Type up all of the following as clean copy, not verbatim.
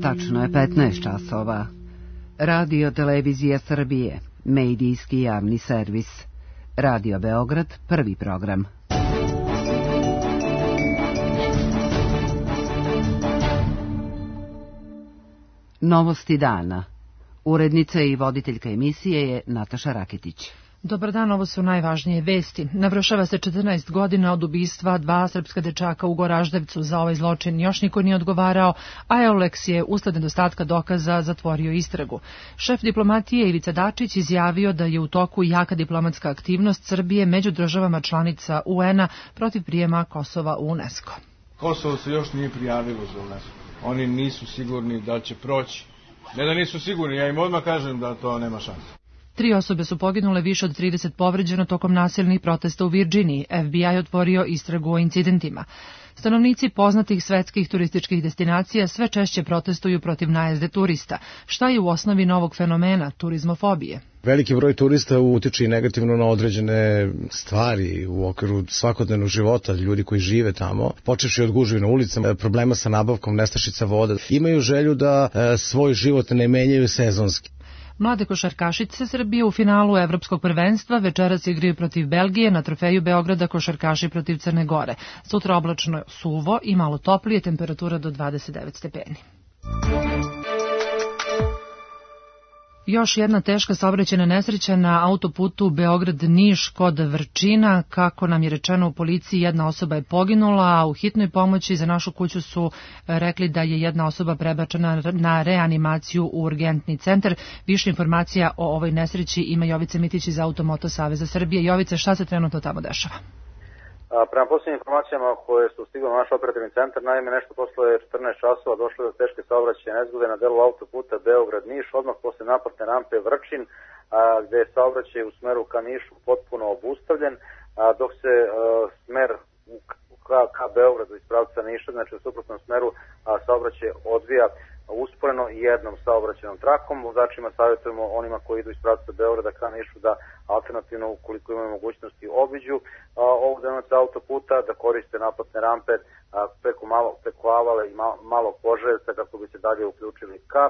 Tačno je 15 časova. Radio Televizija Srbije, medijski javni servis. Radio Beograd, prvi program. Novosti dana. Urednica i voditeljka emisije je Nataša Raketić. Dobar dan, ovo su najvažnije vesti. Navršava se 14 godina od ubistva 2 srpska dečaka u Goraždevcu. Za ovaj zločin još niko nije odgovarao, a Euleks je usled nedostatka dokaza zatvorio istragu. Šef diplomatije Ivica Dačić izjavio da je u toku jaka diplomatska aktivnost Srbije među državama članica UN-a protiv prijema Kosova u UNESCO. Kosovo se još nije prijavilo za UNESCO. Oni nisu sigurni da će proći. Ne da nisu sigurni, ja im odmah kažem da to nema šanse. 3 osobe su poginule, više od 30 povređeno tokom nasilnih protesta u Virdžiniji. FBI otvorio istragu o incidentima. Stanovnici poznatih svetskih turističkih destinacija sve češće protestuju protiv najezde turista. Šta je u osnovi novog fenomena turizmofobije? Veliki broj turista utiče i negativno na određene stvari u okviru svakodnevnog života, ljudi koji žive tamo, počevši od gužvi na ulicama, problema sa nabavkom nestašica voda. Imaju želju da svoj život ne menjaju sezonski. Mlade košarkašice Srbije u finalu Evropskog prvenstva večeras igraju protiv Belgije, na trofeju Beograda košarkaši protiv Crne Gore. Sutra oblačno, suvo i malo toplije, temperatura do 29 stepeni. Još jedna teška saobraćajna nesreća na autoputu Beograd-Niš kod Vrčina. Kako nam je rečeno u policiji, jedna osoba je poginula, a u hitnoj pomoći za našu kuću su rekli da je jedna osoba prebačena na reanimaciju u urgentni centar. Više informacija o ovoj nesreći ima Jovica Mitić iz Automoto Saveza Srbije. Jovice, šta se trenutno tamo dešava? Prema posljednjim informacijama koje su stigle na naš operativni centar, naime nešto posle 14 časova došlo do teške saobraćajne nezgode na delu autoputa Beograd-Niš, odmah posle naplatne rampe Vrčin, gde je saobraćaj u smeru ka Nišu potpuno obustavljen, dok se smer ka Beogradu iz pravca Niša, znači u suprotnom smeru, saobraćaj odvija usporeno i jednom saobraćajnom trakom. Vozačima savjetujemo onima koji idu iz pravca Beograda ka Nišu da alternativno, ukoliko imaju mogućnosti, obiđu ovog deonica autoputa, da koriste naplatne rampe preko Avale i Malog Požarevca kako bi se dalje uključili ka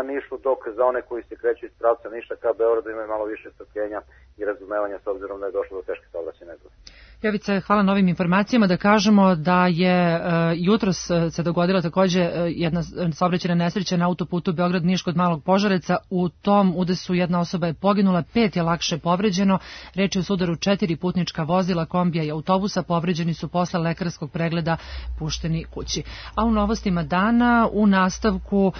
Nišu, dok za one koji se kreću iz pravca Niša ka Beogradu imaju malo više strpljenja i razumevanja s obzirom da je došlo do teške saobraćajne nezgode. Jovice, hvala na ovim informacijama. Da kažemo da je jutros se dogodila takođe jedna saobraćajna nesreća na autoputu Beograd-Niš kod Malog Požarevca. U tom udesu jedna osoba je poginula, 5 je lakše povređeno. Reč je o sudaru 4 putnička vozila, kombija i autobusa. Povređeni su posle lekarskog pregleda pušteni kući. A u novostima dana u nastavku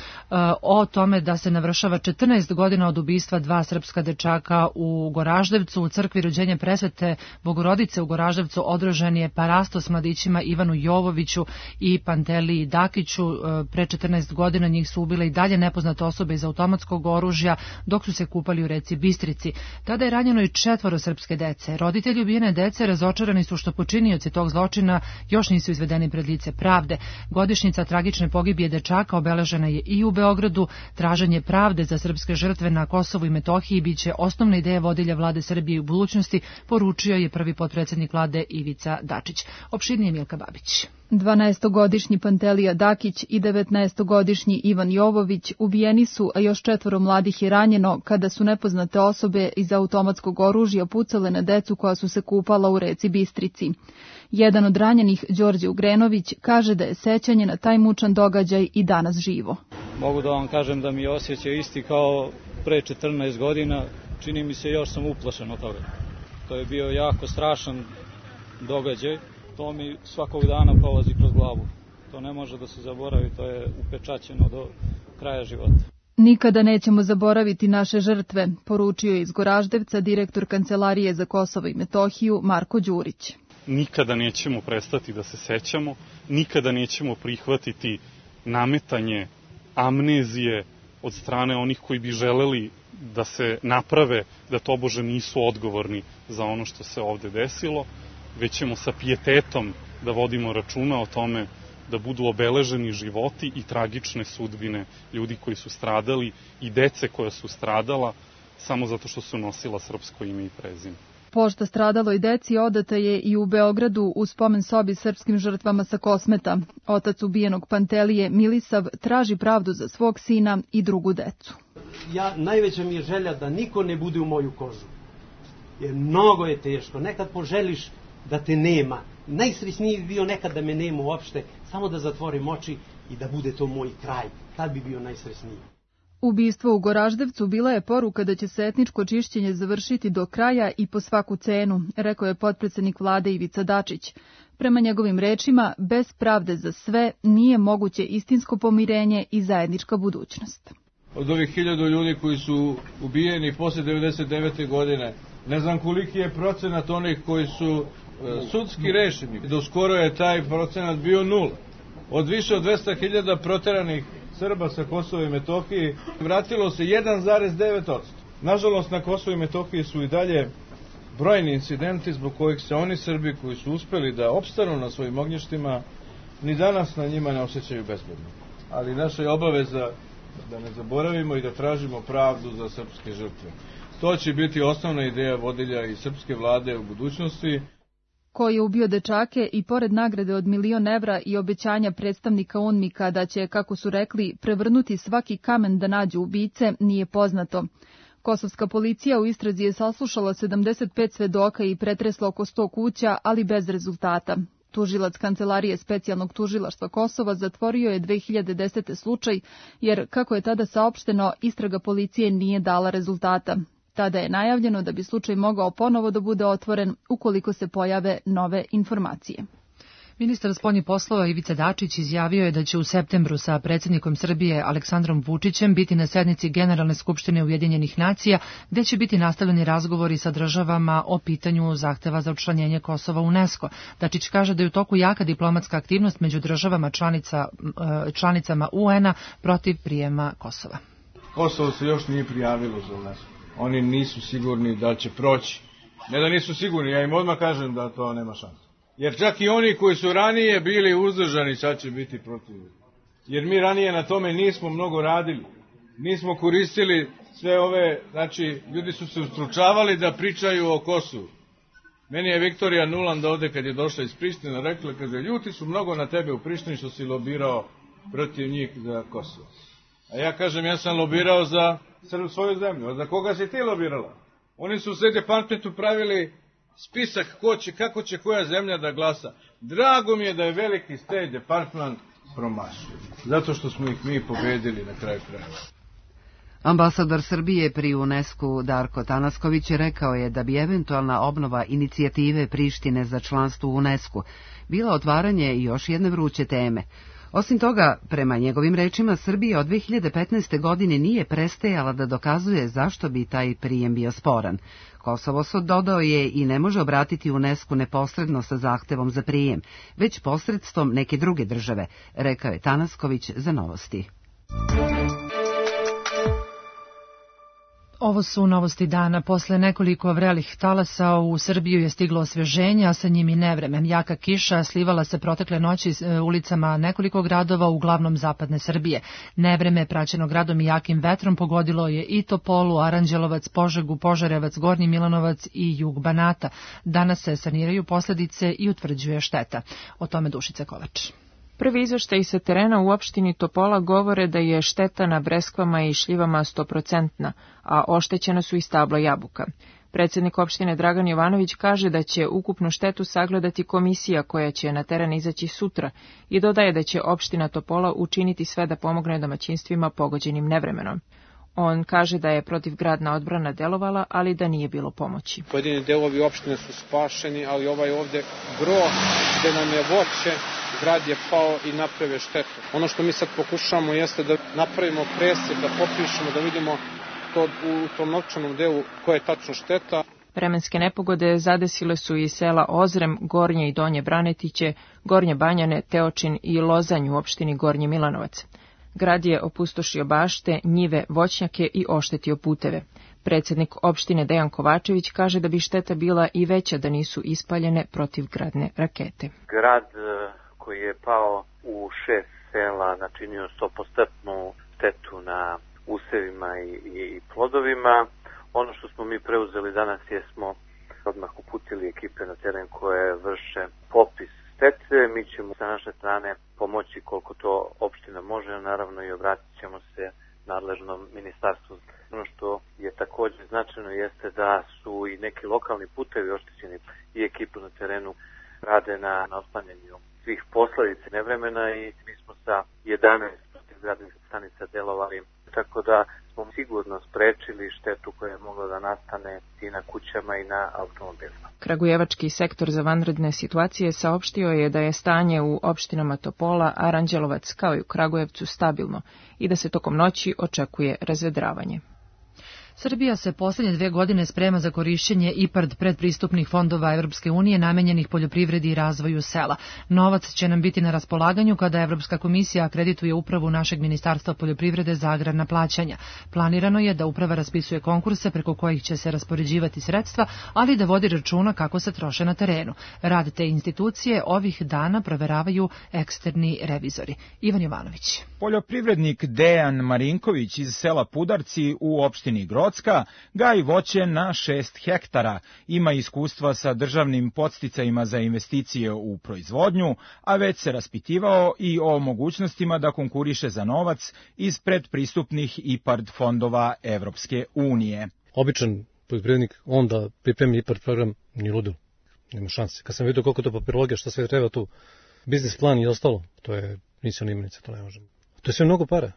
o tome da se navršava 14 godina od ubistva 2 srpska dečaka u Goraždevcu. U crkvi Rođenja Presvete Bogorodice u Goraždevcu održan je parastos mladićima Ivanu Jovoviću i Panteliji Dakiću. Pre 14 godina njih su ubile i dalje nepoznate osobe iz automatskog oružja dok su se kupali u reci Bistrici. Tada je ranjeno i 4 srpske dece. Roditelji ubijene dece razočarani su što počinioci tog zločina još nisu izvedeni pred lice pravde. Godišnjica tragične pogibije dečaka obeležena je i u Beogradu. Traženje pravde za srpske žrtve na Kosovu i Metohiji biće osnovna ideja vodilja vlade Srbije u budućnosti, poručio je prvi potpredsednik vlade Ivica Dačić. Opširnije Milka Babić. 12-godišnji Pantelija Dakić i 19-godišnji Ivan Jovović ubijeni su, a još 4 mladih je ranjeno kada su nepoznate osobe iz automatskog oružja pucale na decu koja su se kupala u reci Bistrici. Jedan od ranjenih, Đorđe Ugrenović, kaže da je sećanje na taj mučan događaj i danas živo. Mogu da vam kažem da mi je osjećaj isti kao pre 14 godina, čini mi se još sam uplašen od toga. To je bio jako strašan događaj, to mi svakog dana prolazi kroz glavu. To ne može da se zaboravi, to je upečaćeno do kraja života. Nikada nećemo zaboraviti naše žrtve, poručio je iz Goraždevca direktor Kancelarije za Kosovo i Metohiju Marko Đurić. Nikada nećemo prestati da se sećamo, nikada nećemo prihvatiti nametanje amnezije od strane onih koji bi želeli da se naprave da tobože nisu odgovorni za ono što se ovde desilo, već ćemo sa pijetetom da vodimo računa o tome da budu obeleženi životi i tragične sudbine ljudi koji su stradali i dece koja su stradala samo zato što su nosila srpsko ime i prezime. Pošta stradaloj deci odata je i u Beogradu u spomen sobi srpskim žrtvama sa Kosmeta. Otac ubijenog Pantelije, Milisav, traži pravdu za svog sina i drugu decu. Najveća mi je želja da niko ne bude u moju kožu. Jer mnogo je teško. Nekad poželiš da te nema. Najsrećniji bi bio nekad da me nema uopšte, samo da zatvorim oči i da bude to moj kraj. Tad bi bio najsrećniji. Ubistvo u Goraždevcu bila je poruka da će se etničko čišćenje završiti do kraja i po svaku cenu, rekao je potpredsednik vlade Ivica Dačić. Prema njegovim rečima, bez pravde za sve nije moguće istinsko pomirenje i zajednička budućnost. Od ovih 1000 ljudi koji su ubijeni posle 99. godine, ne znam koliki je procenat onih koji su sudski rešeni. Do skoro je taj procenat bio 0. Od više od 200.000 proteranih Srba sa Kosova i Metohije vratilo se 1,9%. Nažalost, na Kosovu i Metohiji su i dalje brojni incidenti zbog kojih se oni Srbi koji su uspeli da opstanu na svojim ognjištima ni danas na njima ne osjećaju bezbedno. Ali naša je obaveza da ne zaboravimo i da tražimo pravdu za srpske žrtve. To će biti osnovna ideja vodilja i srpske vlade u budućnosti. Ko je ubio dečake i pored nagrade od 1.000.000 evra i obećanja predstavnika UNMIK-a da će, kako su rekli, prevrnuti svaki kamen da nađu ubice, nije poznato. Kosovska policija u istrazi je saslušala 75 svedoka i pretresla oko 100 kuća, ali bez rezultata. Tužilac Kancelarije specijalnog tužilaštva Kosova zatvorio je 2010. slučaj, jer, kako je tada saopšteno, istraga policije nije dala rezultata. Tada je najavljeno da bi slučaj mogao ponovo da bude otvoren ukoliko se pojave nove informacije. Ministar spoljnih poslova Ivica Dačić izjavio je da će u septembru sa predsjednikom Srbije Aleksandrom Vučićem biti na sednici Generalne skupštine Ujedinjenih nacija, gde će biti nastavljeni razgovori sa državama o pitanju zahteva za učlanjenje Kosova u UNESCO. Dačić kaže da je u toku jaka diplomatska aktivnost među državama članicama UN-a protiv prijema Kosova. Kosovo se još nije prijavilo za UNESCO. Oni nisu sigurni da će proći. Ne da nisu sigurni, ja im odmah kažem da to nema šanse. Jer čak i oni koji su ranije bili uzdržani sad će biti protiv. Jer mi ranije na tome nismo mnogo radili. Nismo koristili sve ove, znači ljudi su se ustručavali da pričaju o Kosovu. Meni je Viktorija Nuland ovde kad je došla iz Prištine rekla, kaže, ljuti su mnogo na tebe u Prištini što si lobirao protiv njih za Kosovo. A ja kažem, ja sam lobirao za svoju zemlju. A za koga si ti lobirala? Oni su u State Departmentu pravili spisak kako će koja zemlja da glasa. Drago mi je da je veliki State Department promašio. Zato što smo ih mi pobedili na kraju kraja. Ambasador Srbije pri UNESCO Darko Tanasković rekao je da bi eventualna obnova inicijative Prištine za članstvo u UNESCO bila otvaranje još jedne vruće teme. Osim toga, prema njegovim rečima, Srbija od 2015. godine nije prestajala da dokazuje zašto bi taj prijem bio sporan. Kosovo, dodao je, i ne može obratiti UNESCO neposredno sa zahtevom za prijem, već posredstvom neke druge države, rekao je Tanasković za Novosti. Ovo su novosti dana. Posle nekoliko vrelih talasa u Srbiju je stiglo osveženje, a sa njim i nevreme. Jaka kiša slivala se protekle noći ulicama nekoliko gradova, uglavnom zapadne Srbije. Nevreme, praćeno gradom i jakim vetrom, pogodilo je i Topolu, Aranđelovac, Požegu, Požarevac, Gornji Milanovac i jug Banata. Danas se saniraju posledice i utvrđuje šteta. O tome Dušica Kovač. Prvi izveštaji sa terena u opštini Topola govore da je šteta na breskvama i šljivama 100%, a oštećena su i stabla jabuka. Predsjednik opštine Dragan Jovanović kaže da će ukupnu štetu sagledati komisija koja će na teren izaći sutra i dodaje da će opština Topola učiniti sve da pomogne domaćinstvima pogođenim nevremenom. On kaže da je protivgradna odbrana delovala, ali da nije bilo pomoći. Pojedini delovi opštine su spašeni, ali ovaj ovde gro gde nam je voće, grad je pao i napravio štetu. Ono što mi sad pokušamo jeste da napravimo presjek, da popišemo, da vidimo to u tom novčanom delu koja je tačno šteta. Vremenske nepogode zadesile su i sela Ozrem, Gornje i Donje Branetiće, Gornje Banjane, Teočin i Lozanj u opštini Gornji Milanovac. Grad je opustošio bašte, njive, voćnjake i oštetio puteve. Predsjednik opštine Dejan Kovačević kaže da bi šteta bila i veća da nisu ispaljene protivgradne rakete. Grad koji je pao u 6 sela načinio 100% štetu na usevima i plodovima. Ono što smo mi preuzeli danas jesmo odmah uputili ekipe na teren koje vrše popis štete. Mi ćemo sa naše strane pomoći koliko to opština može, naravno i obratit ćemo se nadležnom ministarstvu. Ono što je također značajno jeste da su i neki lokalni putevi oštećeni i ekipu na terenu rade na otklanjanju svih posledica nevremena i mi smo sa 11 protivgradnih stanica delovali, tako da smo sigurno sprečili štetu koja je mogla da nastane i na kućama i na automobilima. Kragujevački sektor za vanredne situacije saopštio je da je stanje u opštinama Topola, Aranđelovac kao i u Kragujevcu stabilno i da se tokom noći očekuje razvedravanje. Srbija se posljednje 2 godine sprema za korišćenje IPARD predpristupnih fondova Evropske unije namenjenih poljoprivredi i razvoju sela. Novac će nam biti na raspolaganju kada Evropska komisija akredituje upravu našeg Ministarstva poljoprivrede za agrarna plaćanja. Planirano je da uprava raspisuje konkurse preko kojih će se raspoređivati sredstva, ali da vodi računa kako se troše na terenu. Rad te institucije ovih dana proveravaju eksterni revizori. Ivan Jovanović. Poljoprivrednik Dejan Marinković iz sela Pudarci u opštini Grocka gaji voće na 6 hektara. Ima iskustva sa državnim podsticajima za investicije u proizvodnju, a već se raspitivao i o mogućnostima da konkuriše za novac iz predpristupnih IPARD fondova Evropske unije. Običan poljoprivrednik, on da pripremi IPARD program, ni ludo, nema šanse. Kad sam vidio koliko to papirologija, šta sve treba tu, biznis plan i ostalo, to je misiona imenica, to ne možemo. To je sve mnogo para.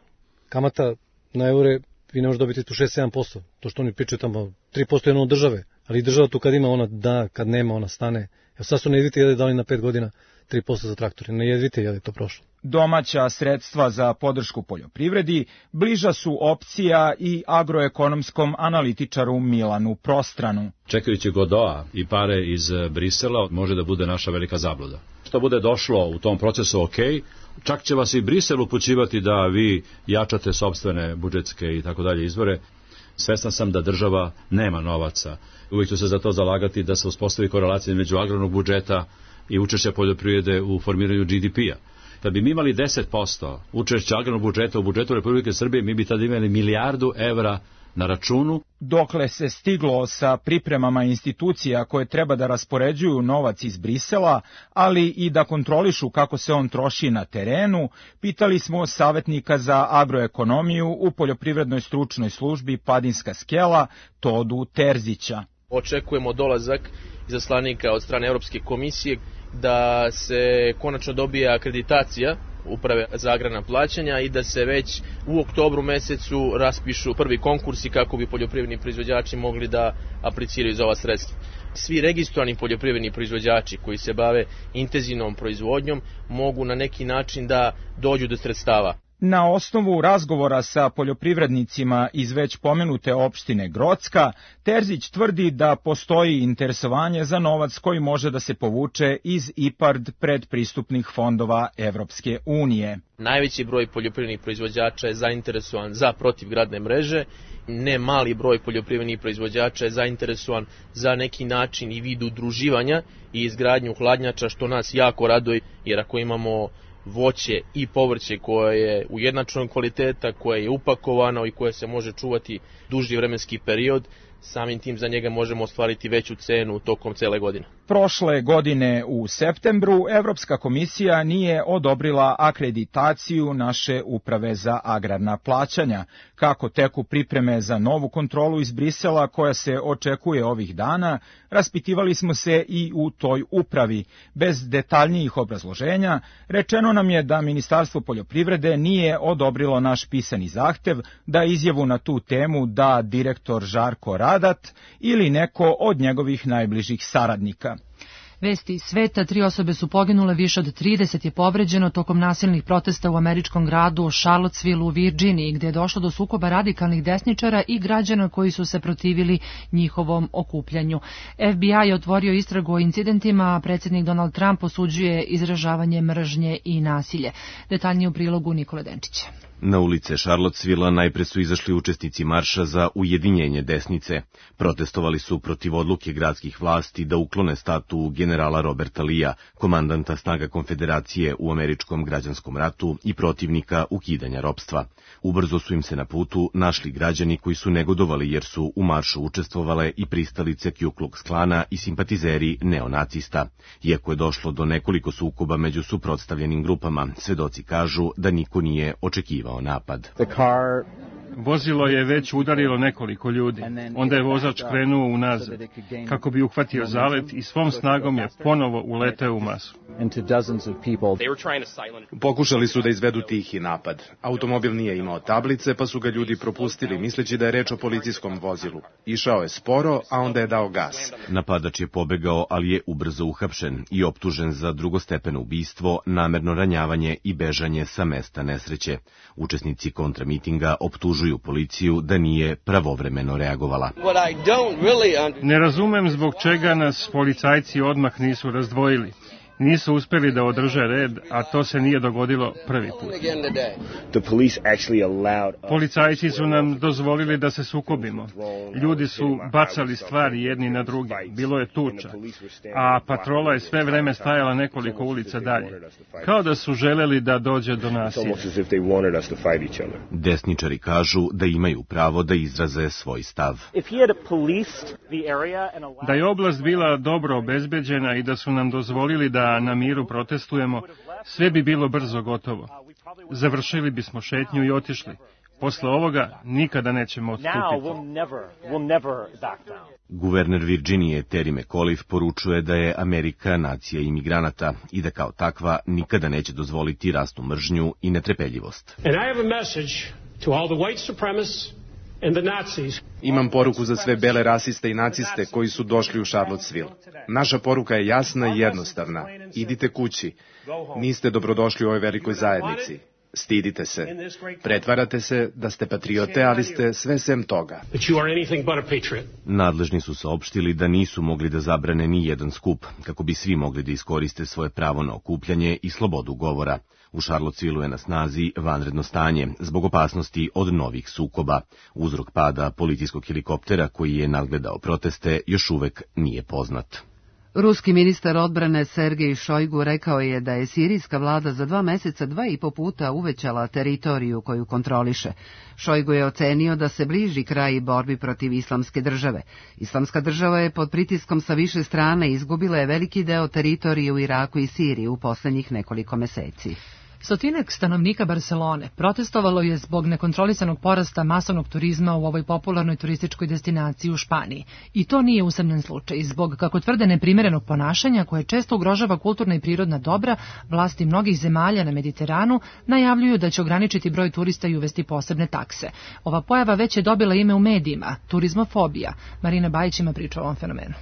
Kamata na eure, vi ne možete dobiti tu 6-7%. To što oni pričaju tamo, 3% je ono od države. Ali država tu kad ima, ona da, kad nema, ona stane. Evo sad su na Jedvite jede dali na 5 godina 3% za traktore. Na Jedvite jede to prošlo. Domaća sredstva za podršku poljoprivredi bliža su opcija i agroekonomskom analitičaru Milanu Prostranu. Čekajući Godoa i pare iz Brisela može da bude naša velika zabluda. Što bude došlo u tom procesu ok, čak će vas i Brisel upućivati da vi jačate sopstvene budžetske i tako dalje izvore. Svestan sam da država nema novaca. Uvijek ću se za to zalagati da se uspostavi korelacija među agrarnog budžeta i učešća poljoprivrede u formiranju GDP-a. Da bi mi imali 10% učešća agrarnog budžeta u budžetu Republike Srbije, mi bi tada imali milijardu evra na računu. Dokle se stiglo sa pripremama institucija koje treba da raspoređuju novac iz Brisela, ali i da kontrolišu kako se on troši na terenu, pitali smo savjetnika za agroekonomiju u poljoprivrednoj stručnoj službi Padinska skela, Todu Terzića. Očekujemo dolazak izaslanika od strane Europske komisije da se konačno dobije akreditacija uprave za agrarna plaćanja i da se već u oktobru mesecu raspišu prvi konkursi kako bi poljoprivredni proizvođači mogli da apliciraju za ova sredstva. Svi registrovani poljoprivredni proizvođači koji se bave intenzivnom proizvodnjom mogu na neki način da dođu do sredstava. Na osnovu razgovora sa poljoprivrednicima iz već pomenute opštine Grocka, Terzić tvrdi da postoji interesovanje za novac koji može da se povuče iz IPARD predpristupnih fondova Evropske unije. Najveći broj poljoprivrednih proizvođača je zainteresovan za protivgradne mreže, ne mali broj poljoprivrednih proizvođača je zainteresovan za neki način i vid udruživanja i izgradnju hladnjača, što nas jako raduje, jer ako imamo voće i povrće koje je ujednačenog kvaliteta, koje je upakovano i koje se može čuvati duži vremenski period, samim tim za njega možemo ostvariti veću cenu tokom cele godine. Prošle godine u septembru Evropska komisija nije odobrila akreditaciju naše uprave za agrarna plaćanja. Kako teku pripreme za novu kontrolu iz Brisela koja se očekuje ovih dana, raspitivali smo se i u toj upravi. Bez detaljnijih obrazloženja, rečeno nam je da Ministarstvo poljoprivrede nije odobrilo naš pisani zahtev da izjavu na tu temu da direktor Žarko Radat ili neko od njegovih najbližih saradnika. Vesti iz sveta, 3 osobe su poginule, više od 30 je povređeno tokom nasilnih protesta u američkom gradu Charlottesville u Virginiji, gdje je došlo do sukoba radikalnih desničara i građana koji su se protivili njihovom okupljanju. FBI je otvorio istragu o incidentima, a predsjednik Donald Trump osuđuje izražavanje mržnje i nasilje. Detaljnije u prilogu Nikole Denčića. Na ulice Charlottesville-a najpre su izašli učesnici marša za ujedinjenje desnice. Protestovali su protiv odluke gradskih vlasti da uklone statu generala Roberta Lee-a, komandanta snaga konfederacije u američkom građanskom ratu i protivnika ukidanja ropstva. Ubrzo su im se na putu našli građani koji su negodovali jer su u maršu učestvovale i pristalice Ku Klux Klana i simpatizeri neonacista. Iako je došlo do nekoliko sukoba među suprotstavljenim grupama, svedoci kažu da niko nije očekivao napad. Vozilo je već udarilo nekoliko ljudi. Onda je vozač krenuo unazad, kako bi uhvatio zalet i svom snagom je ponovo uleteo u masu. Pokušali su da izvedu tihi napad. Automobil nije imao tablice, pa su ga ljudi propustili, misleći da je reč o policijskom vozilu. Išao je sporo, a onda je dao gas. Napadač je pobegao, ali je ubrzo uhapšen i optužen za drugostepeno ubistvo, namerno ranjavanje i bežanje sa mesta nesreće. Učesnici kontramitinga optužuju policiju da nije pravovremeno reagovala. Ne razumem zbog čega nas policajci odmah nisu razdvojili. Nisu uspeli da održe red, a to se nije dogodilo prvi put. Policajci su nam dozvolili da se sukobimo. Ljudi su bacali stvari jedni na drugi. Bilo je tuča, a patrola je sve vreme stajala nekoliko ulica dalje. Kao da su želeli da dođe do nasilja. Desničari kažu da imaju pravo da izraze svoj stav. Da je oblast bila dobro obezbeđena i da su nam dozvolili da na miru protestujemo, sve bi bilo brzo gotovo. Završili bismo šetnju i otišli. Posle ovoga nikada nećemo odstupiti. Guverner Virginije Terry McAuliffe poručuje da je Amerika nacija imigranata i da kao takva nikada neće dozvoliti rasnu mržnju i netrpeljivost. Imam poruku za sve bele rasiste i naciste koji su došli u Charlottesville. Naša poruka je jasna i jednostavna. Idite kući. Niste dobrodošli u ovoj velikoj zajednici. Stidite se. Pretvarate se da ste patriote, ali ste sve sem toga. Nadležni su saopštili da nisu mogli da zabrane ni jedan skup, kako bi svi mogli da iskoriste svoje pravo na okupljanje i slobodu govora. U Charlottesvilleu je na snazi vanredno stanje zbog opasnosti od novih sukoba. Uzrok pada policijskog helikoptera koji je nadgledao proteste još uvek nije poznat. Ruski ministar odbrane Sergej Šojgu rekao je da je sirijska vlada za 2 meseca 2,5 puta uvećala teritoriju koju kontroliše. Šojgu je ocenio da se bliži kraj borbi protiv islamske države. Islamska država je pod pritiskom sa više strane izgubila je veliki deo teritorije u Iraku i Siriji u poslednjih nekoliko meseci. Stotinak stanovnika Barcelone protestovalo je zbog nekontrolisanog porasta masovnog turizma u ovoj popularnoj turističkoj destinaciji u Španiji. I to nije usamljen slučaj. Zbog, kako tvrde, neprimerenog ponašanja koje često ugrožava kulturna i prirodna dobra, vlasti mnogih zemalja na Mediteranu najavljuju da će ograničiti broj turista i uvesti posebne takse. Ova pojava već je dobila ime u medijima, turizmofobija. Marina Bajić ima priču o ovom fenomenu.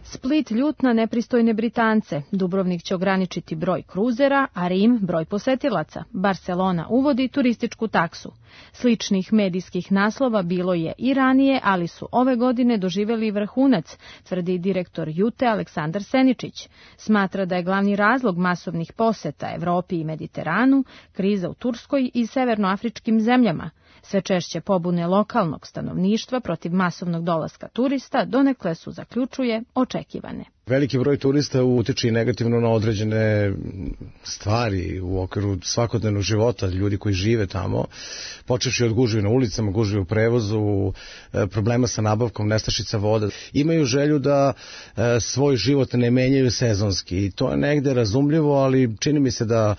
Split ljut na nepristojne Britance, Dubrovnik će ograničiti broj kruzera, a Rim broj posetilaca. Barcelona uvodi turističku taksu. Sličnih medijskih naslova bilo je i ranije, ali su ove godine doživjeli vrhunac, tvrdi direktor Jute Aleksandar Seničić. Smatra da je glavni razlog masovnih poseta Evropi i Mediteranu kriza u Turskoj i severnoafričkim zemljama. Sve češće pobune lokalnog stanovništva protiv masovnog dolaska turista donekle su, zaključuje, očekivane. Veliki broj turista utiče i negativno na određene stvari u okviru svakodnevnog života, ljudi koji žive tamo, počevši od gužve na ulicama, gužve u prevozu, problema sa nabavkom nestašica voda. Imaju želju da svoj život ne menjaju sezonski i to je negde razumljivo, ali čini mi se da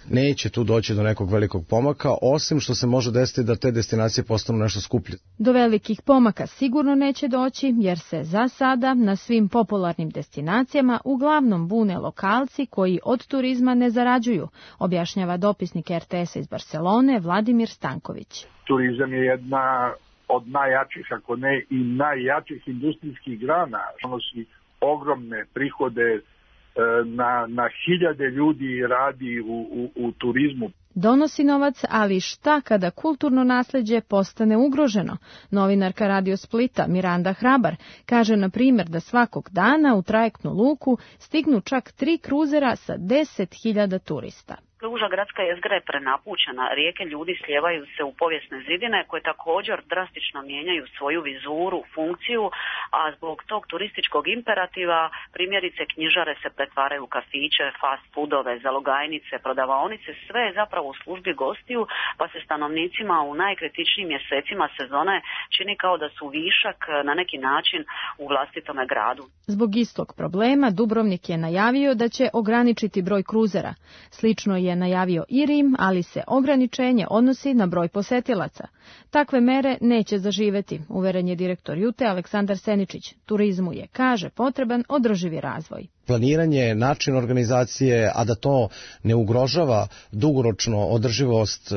neće tu doći do nekog velikog pomaka, osim što se može desiti da te destinacije postanu nešto skuplje. Do velikih pomaka sigurno neće doći, jer se za sada na svim popularnim destinacijama uglavnom bune lokalci koji od turizma ne zarađuju, objašnjava dopisnik RTS-a iz Barcelone Vladimir Stanković. Turizam je jedna od najjačih, ako ne i najjačih industrijskih grana. Donosi ogromne prihode, na hiljade ljudi radi u turizmu. Donosi novac, ali šta kada kulturno nasleđe postane ugroženo? Novinarka Radio Splita Miranda Hrabar kaže na primjer da svakog dana u trajektnu luku stignu čak 3 kruzera sa 10.000 turista. Uža gradska jezgra je prenapučena, rijeke ljudi slijevaju se u povijesne zidine koje također drastično mijenjaju svoju vizuru, funkciju, a zbog tog turističkog imperativa primjerice knjižare se pretvaraju u kafiće, fast foodove, zalogajnice, prodavaonice, sve je zapravo u službi gostiju, pa se stanovnicima u najkritičnijim mjesecima sezone čini kao da su višak na neki način u vlastitome gradu. Zbog istog problema Dubrovnik je najavio da će ograničiti broj kruzera. Slično je najavio i Rim, ali se ograničenje odnosi na broj posetilaca. Takve mere neće zaživeti, uveren je direktor Jute Aleksandar Seničić. Turizmu je, kaže, potreban održivi razvoj. Planiranje, način organizacije, a da to ne ugrožava dugoročno održivost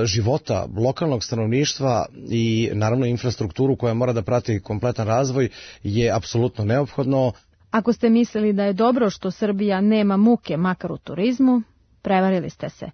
života lokalnog stanovništva i naravno infrastrukturu koja mora da prati kompletan razvoj je apsolutno neophodno. Ako ste mislili da je dobro što Srbija nema muke makar u turizmu, prevarili ste se.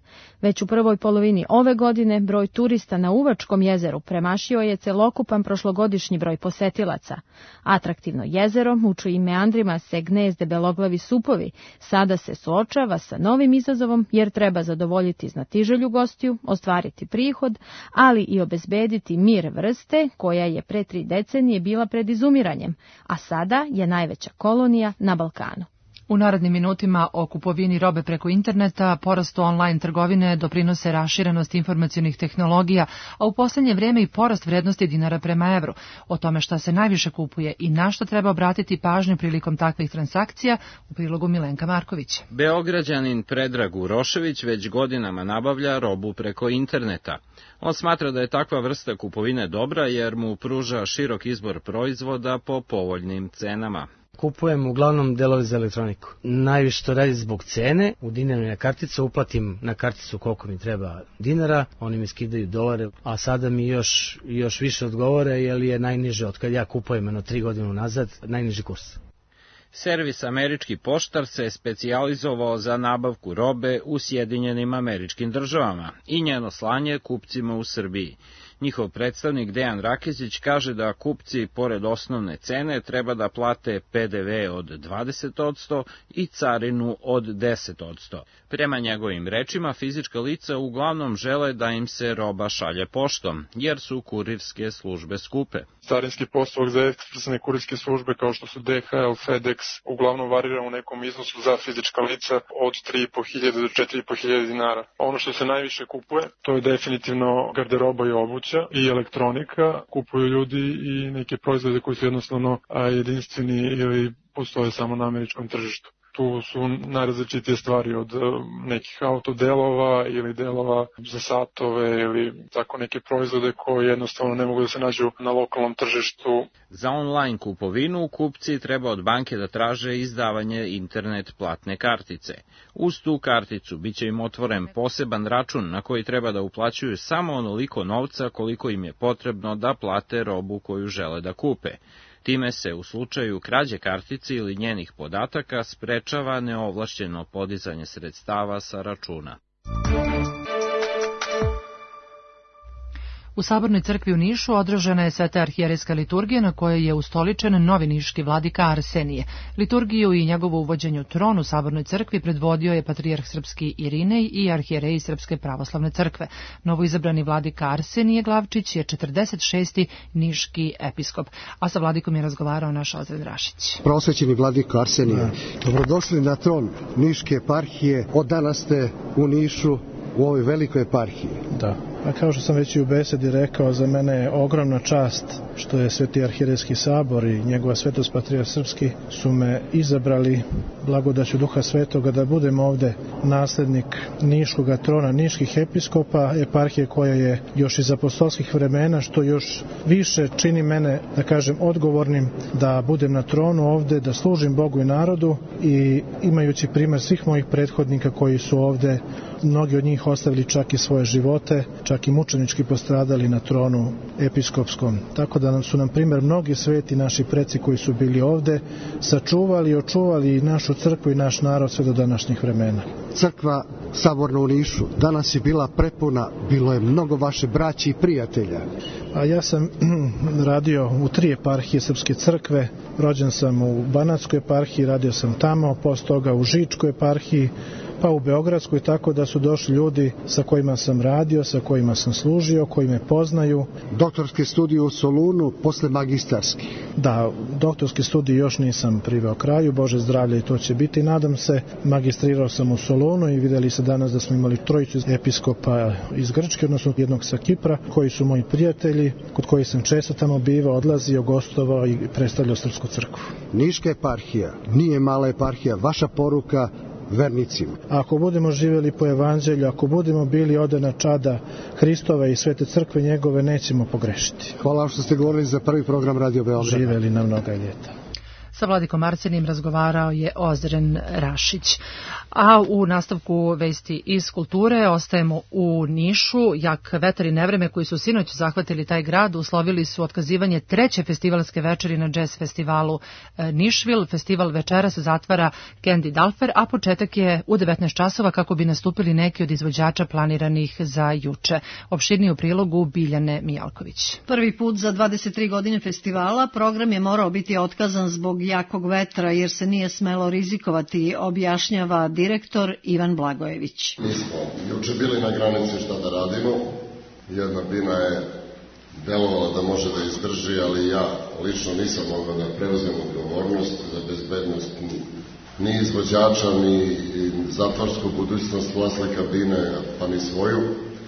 Već u prvoj polovini ove godine broj turista na Uvačkom jezeru premašio je celokupan prošlogodišnji broj posetilaca. Atraktivno jezero, u čijim meandrima se gnezde beloglavi supovi, sada se suočava sa novim izazovom jer treba zadovoljiti znatiželju gostiju, ostvariti prihod, ali i obezbediti mir vrste koja je pre 3 decenije bila pred izumiranjem, a sada je najveća kolonija na Balkanu. U narednim minutima o kupovini robe preko interneta, porastu online trgovine doprinose raširenost informacionih tehnologija, a u posljednje vrijeme i porast vrednosti dinara prema evru. O tome šta se najviše kupuje i na što treba obratiti pažnju prilikom takvih transakcija, u prilogu Milenka Marković. Beograđanin Predrag Urošević već godinama nabavlja robu preko interneta. On smatra da je takva vrsta kupovine dobra jer mu pruža širok izbor proizvoda po povoljnim cenama. Kupujem uglavnom delove za elektroniku. Najviše to radi zbog cene, u dinarnoj karticu uplatim na karticu koliko mi treba dinara, oni mi skidaju dolare, a sada mi još više odgovore jer je najniže od kad ja kupujem 3 godine nazad, najniži kurs. Servis Američki poštar se specijalizovao za nabavku robe u Sjedinjenim Američkim Državama i njeno slanje kupcima u Srbiji. Njihov predstavnik Dejan Rakezić kaže da kupci, pored osnovne cene, treba da plate PDV od 20% i carinu od 10%. Prema njegovim rečima, fizička lica uglavnom žele da im se roba šalje poštom, jer su kurirske službe skupe. Carinski postupak za ekspresne kurirske službe kao što su DHL, FedEx, uglavnom varira u nekom iznosu za fizička lica od 3.500 do 4.500 dinara. Ono što se najviše kupuje, to je definitivno garderoba i obuća i elektronika. Kupuju ljudi i neke proizvode koji su jednostavno jedinstveni ili postoje samo na američkom tržištu. Tu su najrazličitije stvari od nekih autodelova ili delova za satove ili tako neke proizvode koje jednostavno ne mogu da se nađu na lokalnom tržištu. Za online kupovinu kupci treba od banke da traže izdavanje internet platne kartice. Uz tu karticu biće im otvoren poseban račun na koji treba da uplaćuju samo onoliko novca koliko im je potrebno da plate robu koju žele da kupe. Time se u slučaju krađe kartice ili njenih podataka sprečava neovlašćeno podizanje sredstava sa računa. U Sabornoj crkvi u Nišu održana je Sveta arhijerejska liturgija na kojoj je ustoličen novi niški vladika Arsenije. Liturgiju i njegovo uvođenje u tron u Sabornoj crkvi predvodio je patrijarh srpski Irinej i arhijereji Srpske pravoslavne crkve. Novoizabrani vladika Arsenije Glavčić je 46. niški episkop, a sa vladikom je razgovarao naš Ozren Rašić. Prosvećeni vladika Arsenije, dobrodošli na tron niške eparhije. Od danas ste u Nišu, u ovoj velikoj eparhiji. Da. A kao što sam već i u besedi rekao, za mene je ogromna čast što je Sveti arhierejski sabor i njegova svetost patrijarh srpski su me izabrali blagodaću Duha Svetoga da budem ovde naslednik niškog trona, niških episkopa, eparhije koja je još iz apostolskih vremena, što još više čini mene, da kažem, odgovornim da budem na tronu ovde, da služim Bogu i narodu i imajući primer svih mojih prethodnika koji su ovde, mnogi od njih ostavili čak i svoje živote, čak i mučenički postradali na tronu episkopskom. Tako da su nam primjer mnogi sveti naši preci koji su bili ovde, sačuvali i očuvali našu crkvu i naš narod sve do današnjih vremena. Crkva Saborna u Nišu danas je bila prepuna, bilo je mnogo vaše braće i prijatelja. A ja sam radio u 3 eparhije Srpske crkve, rođen sam u Banatskoj eparhiji, radio sam tamo, posle toga u Žičkoj eparhiji, pa u Beogradskoj, tako da su došli ljudi sa kojima sam radio, sa kojima sam služio, koji me poznaju. Doktorske studije u Solunu posle magistarskih. Da, doktorski studij još nisam priveo kraju, Bože zdravlje, i to će biti, nadam se. Magistrirao sam u Solunu i videli se danas da smo imali trojicu episkopa iz Grčke, odnosno jednog sa Kipra, koji su moji prijatelji, kod kojih sam često tamo bivao, odlazio, gostovao i predstavljao Srpsku crkvu. Niška eparhija nije mala eparhija, vaša poruka vernicima. Ako budemo živjeli po evanđelju, ako budemo bili odana čada Hristove i Svete crkve njegove, nećemo pogrešiti. Hvala što ste govorili za prvi program Radio Beograda. Živjeli na mnoga ljeta. Sa Vladikom Arsenijim razgovarao je Ozren Rašić. A u nastavku vesti iz kulture ostajemo u Nišu. Jak vetar i nevreme koji su sinoć zahvatili taj grad uslovili su otkazivanje treće festivalske večeri na jazz festivalu Nišvil. Festival večeras zatvara Candy Dalfer, a početak je u 19 časova kako bi nastupili neki od izvođača planiranih za juče. Opširniji u prilogu Biljane Mijalković. Prvi put za 23 godine festivala program je morao biti otkazan zbog jakog vetra jer se nije smelo rizikovati, objašnjava direktor Ivan Blagojević. Mi smo juče bili na granici šta da radimo. Jedna bina je delovala da može da izdrži, ali ja lično nisam mogao da preuzem odgovornost za bezbednost ni izvođača, ni zatvorsku budućnost vlasnika bine, pa ni svoju.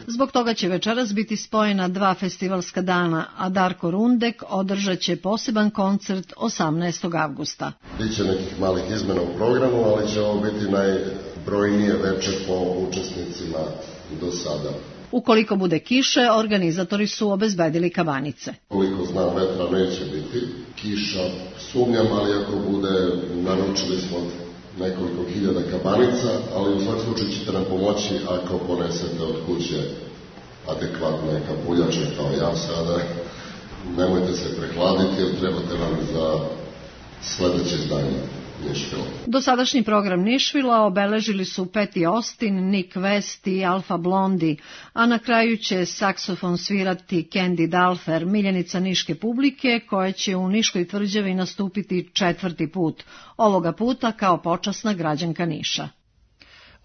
Zbog toga će večeras biti spojena dva festivalska dana, a Darko Rundek održat će poseban koncert 18. avgusta. Biće nekih malih izmena u programu, ali će ovo biti najbrojnije večer po učesnicima do sada. Ukoliko bude kiše, organizatori su obezbedili kabanice. Koliko znam, vetra neće biti. Kiša sumnjam, ali ako bude, naručili smo nekoliko hiljada kabanica, ali u svakom slučaju ćete nam pomoći ako ponesete od kuće adekvatne kapuljače kao ja sada. Nemojte se prehladiti jer trebate nam za sledeće izdanje Nišvila. Dosadašnji program Nišvila obeležili su Patty Austin, Nick West i Alfa Blondy, a na kraju će saksofon svirati Candy Dalfer, miljenica niške publike koja će u Niškoj tvrđavi nastupiti 4. put, ovoga puta kao počasna građanka Niša.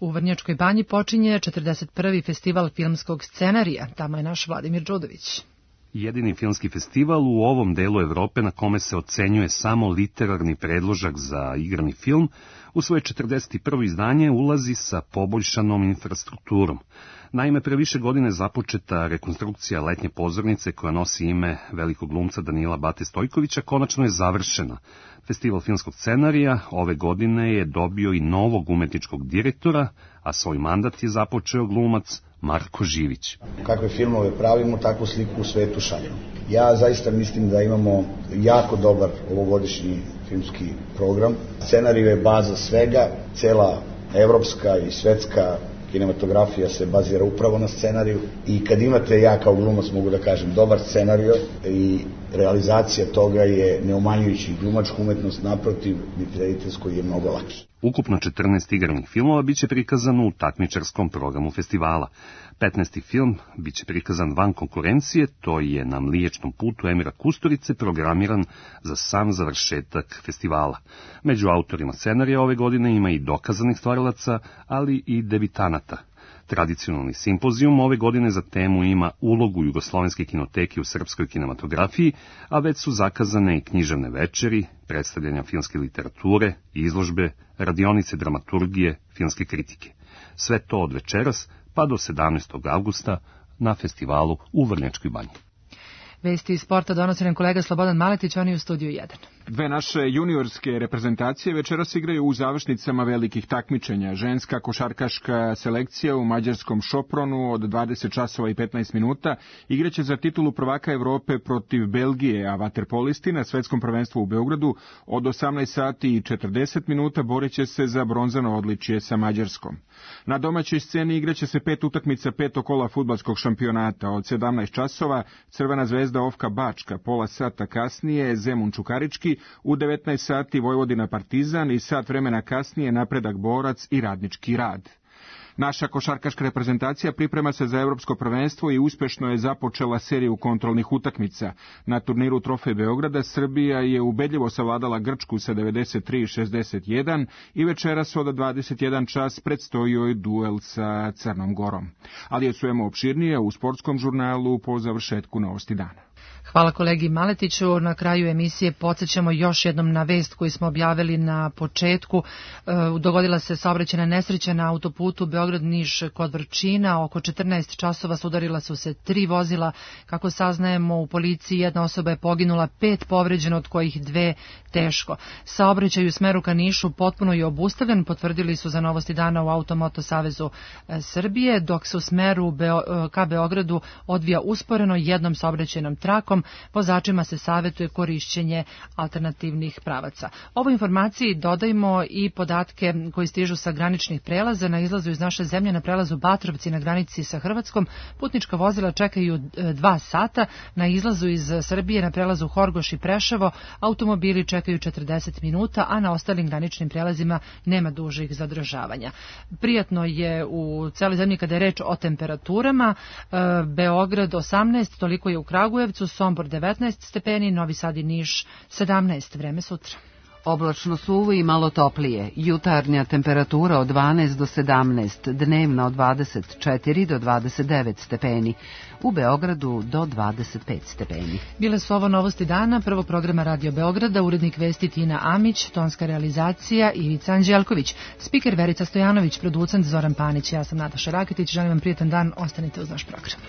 U Vrnjačkoj banji počinje 41. festival filmskog scenarija, tamo je naš Vladimir Đudović. Jedini filmski festival u ovom delu Evrope na kome se ocenjuje samo literarni predložak za igrani film, u svoje 41. izdanje ulazi sa poboljšanom infrastrukturom. Naime, pre više godine započeta rekonstrukcija letnje pozornice koja nosi ime velikog glumca Danila Bate Stojkovića konačno je završena. Festival filmskog scenarija ove godine je dobio i novog umetničkog direktora, a svoj mandat je započeo glumac Marko Živić. Kakve filmove pravimo, takvu sliku u svetu šaljemo. Ja zaista mislim da imamo jako dobar ovogodišnji filmski program. Scenarij je baza svega, cela evropska i svetska kinematografija se bazira upravo na scenariju i kad imate, ja kao glumac mogu da kažem, dobar scenarijo i realizacija toga je neumanjujući glumačku umetnost, naprotiv, niti rediteljsko je mnogo lakše. Ukupno 14 igranih filmova biće prikazano u takmičarskom programu festivala. 15. film biće prikazan van konkurencije, to je na Mliječnom putu Emira Kusturice programiran za sam završetak festivala. Među autorima scenarija ove godine ima i dokazanih stvarilaca, ali i debitanata. Tradicionalni simpozijum ove godine za temu ima ulogu jugoslovenske kinoteke u srpskoj kinematografiji, a već su zakazane i književne večeri, predstavljanja filmske literature, izložbe, radionice dramaturgije, filmske kritike. Sve to od večeras pa do 17. avgusta na festivalu u Vrnjačkoj banji. Vesti iz sporta donosi nam kolega Slobodan Maletić, on je u studiju 1. Dve naše juniorske reprezentacije večeras igraju u završnicama velikih takmičenja. Ženska košarkaška selekcija u mađarskom Šopronu od 20 časova i 15 minuta igraće za titulu prvaka Evrope protiv Belgije, a vaterpolisti na svetskom prvenstvu u Beogradu od 18 sati i 40 minuta boreće se za bronzano odličje sa Mađarskom. Na domaćoj sceni igraće se 5 utakmica 5. kola fudbalskog šampionata. Od 17 časova Crvena zvezda Ofka Bačka, pola sata kasnije Zemun Čukarički, u 19 sati Vojvodina Partizan i sat vremena kasnije Napredak Borac i Radnički Rad. Naša košarkaška reprezentacija priprema se za evropsko prvenstvo i uspešno je započela seriju kontrolnih utakmica. Na turniru Trofej Beograda Srbija je ubedljivo savladala Grčku sa 93-61 i večeras od 21 čas predstoji joj duel sa Crnom Gorom. Ali je čujemo opširnije u sportskom žurnalu po završetku novosti dana. Hvala kolegi Maletiću. Na kraju emisije podsjećamo još jednom na vest koju smo objavili na početku. Dogodila se saobraćajna nesreća na autoputu Beograd-Niš kod Vrčina. Oko 14 časova sudarila su se 3 vozila. Kako saznajemo u policiji, jedna osoba je poginula, 5 povređeno, od kojih 2 teško. Saobraćaj u smeru ka Nišu potpuno je obustavljen, potvrdili su za novosti dana u Automoto Savezu Srbije, dok se u smeru ka Beogradu odvija usporeno jednom saobraćajnom trakom. Vozačima se savjetuje korišćenje alternativnih pravaca. Ovoj informaciji dodajmo i podatke koji stižu sa graničnih prelaza. Na izlazu iz naše zemlje na prelazu Batrovci na granici sa Hrvatskom putnička vozila čekaju 2 sata. Na izlazu iz Srbije na prelazu Horgoš i Preševo automobili čekaju 40 minuta, a na ostalim graničnim prelazima nema dužih zadržavanja. Prijatno je u celoj zemlji kada je reč o temperaturama. Beograd 18, toliko je u Kragujevcu, Sombor 19 stepeni, Novi Sad i Niš 17, vreme sutra. Oblačno suvo i malo toplije, jutarnja temperatura od 12 do 17, dnevna od 24 do 29 stepeni, u Beogradu do 25 stepeni. Bile su ovo novosti dana, prvog programa Radio Beograda, urednik vesti Tina Amić, tonska realizacija Ivica Anđelković, spiker Verica Stojanović, producent Zoran Panić, ja sam Nataša Raketić, želim vam prijetan dan, ostanite uz naš program.